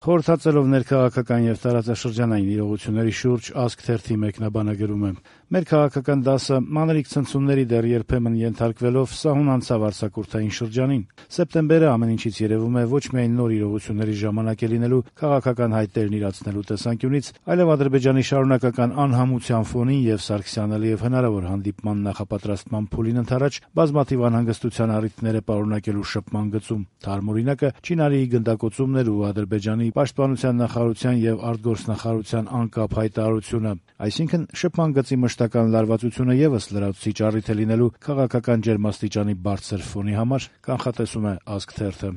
Խորհրդածելով ներքաղաքական եւ տարածաշրջանային իրողությունների շուրջ Ազգ թերթի մեկնաբանը գրում է. «Մեր քաղաքական դասը մանրիկ ցնցումների դեռ երբեմն ենթարկվելով սահուն անցավ արձակուրդային շրջանին։ Սեպտեմբերը ամեն ինչից երևում է ոչ միայն նոր իրողությունների ժամանակ է լինելու քաղաքական հայտերն իրացնելու տեսանկյունից, այլև Ադրբեջանի շարունակական անհամության ֆոնին եւ Սարգսյան Ալիեւ հնարավոր հանդիպման նախապատրաստման փուլին ընդառաջ բազմաթիվ անհանգստության առիթներ է պարունակելու շփման գծում։ Թարմ օրինակը Չինարիի գնդակոծումն էր ու Ադրբեջանի պաշտպանության նախարարության եւ արտգործնախարարության անկապ հայտարարությունը։ Այսինքն շփման գծի մշտական լարվածությունը եւս լրացուցիչ առիթ է լինելու քաղաքական ջերմաստիճանի բարձր ֆոնի համար», կանխատեսում է Ազգ թերթը։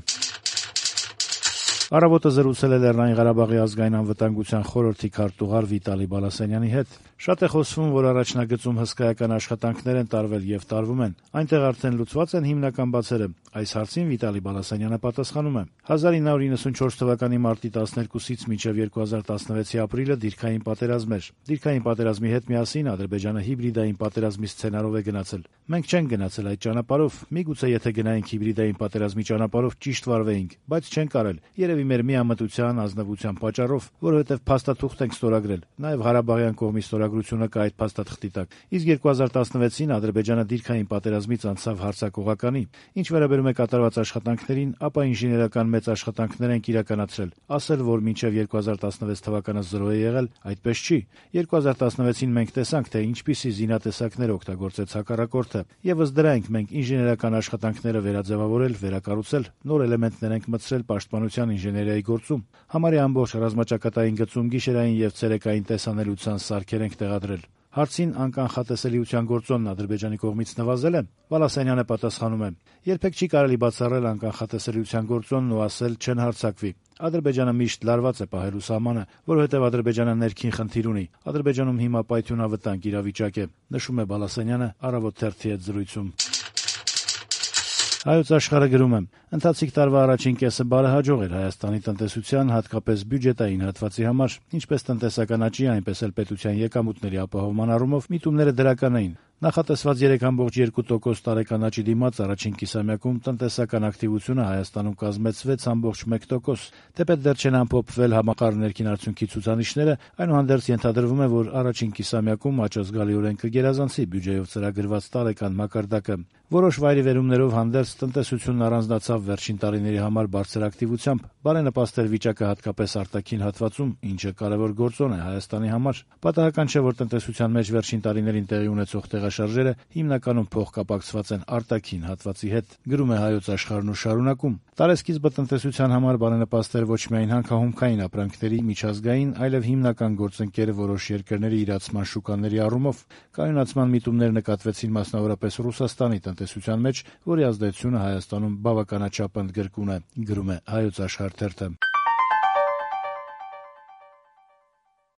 Առավոտը զրուցել է Լեռնային Ղարաբաղի ազգային անվտանգության խորհրդի քարտուղար Վիտալի Բալասանյանի հետ։ Շատ է խոսվում, որ առաջնագծում հսկայական աշխատանքներ են տարվել եւ տարվում են։ Այնտեղ արդեն լուծված են հիմնական բացերը։ Այս հարցին Վիտալի Բալասանյանը պատասխանում է. 1994 թվականի մարտի 12-ից մինչև 2016-ի ապրիլը դիրքային պատերազմ էր։ Դիրքային պատերազմի հետ միասին Ադրբեջանը հիբրիդային պատերազմի սցենարով է գնացել։ Մենք չենք գնացել այդ ճանապարհով, միգուցե եթե գնայինք հիբրիդային պատերազմի ճանապարհով ճիշտ վարվեինք, բայց չենք արել։ Երևի մեր միամտության, ազնվության պատճառով, որովհետև փաստաթուղթ ենք ստորագրել։ Նաև Ղարաբաղյան կողմի ստորագրությունը կա այդ փաստաթղթի տակ։ Իսկ 2016-ին Ադրբեջանը դիրքային պատերազմից անցավ հարձակողականի։ Ինչ վերաբերում է կատարված աշխատանքներին, ապա ինժեներական մեծ աշխատանքներ ենք իրականացրել։ Ասել, որ մինչև 2016 թվականը 0 է եղել, այդպես չի։ 2016-ին մենք տեսանք, թե ինչպիսի զինատեսակներ օգտագործեց հակառակորդը։ Եվս դրա ենք մենք ինժեներական աշխատանքները վերաձևավորել, վերակառուցել, նոր էլեմենտներ ենք մտցրել պաշտպանության ինժեներիայի գործում։ Համարյա ամբողջ ռազմաճակատային գծում գիշերային եւ ցերեկային տեսանելիության սարքեր ենք տեղադրել։ Հարցին անկանխատեսելիության գործոնն Ադրբեջանի կողմից նվազել է, Բալասանյանը պատասխանում է. երբեք չի կարելի բացառել անկանխատեսելիության գործոնն ու ասել չեն հարձակվի։ Ադրբեջանը միշտ լարված է պահելու սահմանը, որովհետև Ադրբեջանը ներքին խնդիր ունի։ Ադրբեջանում հիմա պայթյունավտանգ իրավիճակ է, նշում է Բալասանյանը Առավոտ թերթի հետ զրույցում։ Հայոց Աշխարհը գրում է. ընթացիկ տարվա առաջին կեսը բարեհաջող էր Հայաստանի տնտեսության, հատկապես բյուջետային հատվածի համար, ինչպես տնտեսական աճի, այնպես էլ պետության եկամուտների ապահովման առումով միտումները դրական էին։ Նախատեսված 3.2% տարեկան աճի դիմաց առաջին կիսամյակում տնտեսական ակտիվությունը Հայաստանում կազմեց 6.1%։ Թեպետ դեռ չեն ամփոփվել համախառն ներքին արդյունքի ցուցանիշները, այնուհանդերձ ենթադրվում է, որ առաջին կիսամյակում աճը զգալիորեն կգերազանցի բյուջեով ծրագրված տարեկան մակարդակը։ Որոշ վայրիվերումներով հանդերձ տնտեսությունն առանձնացավ վերջին տարիների համար բարձր ակտիվությամբ, բարենպաստ էր վիճակը հատկապես արտաքին հատվածում, ինչը կարևոր գործոն է Հայաստանի համար։ Պատահական չէ, որ տնտեսության մեջ վերջին տարիներին տեղի ունեցող տեղաշարժերը հիմնականում փոխկապակցված են արտաքին հատվածի հետ, գրում է Հայոց Աշխարհն ու շարունակում. տարեսկիզբը տնտեսության համար բարենպաստ էր ոչ միայն հանքահումքային ապրանքների միջազգային, այլև հիմնական գործընկեր որոշ երկրների իրացման շուկաների առումով։ Կայունացման միտումներ նկատվեցին մասնավորապես Ռուսաստանի տնտեսության մեջ, որի ազդեցությունը Հայաստանում բավականաչափ ընդգրկուն է, գրում է Հայոց Աշխարհ թերթը։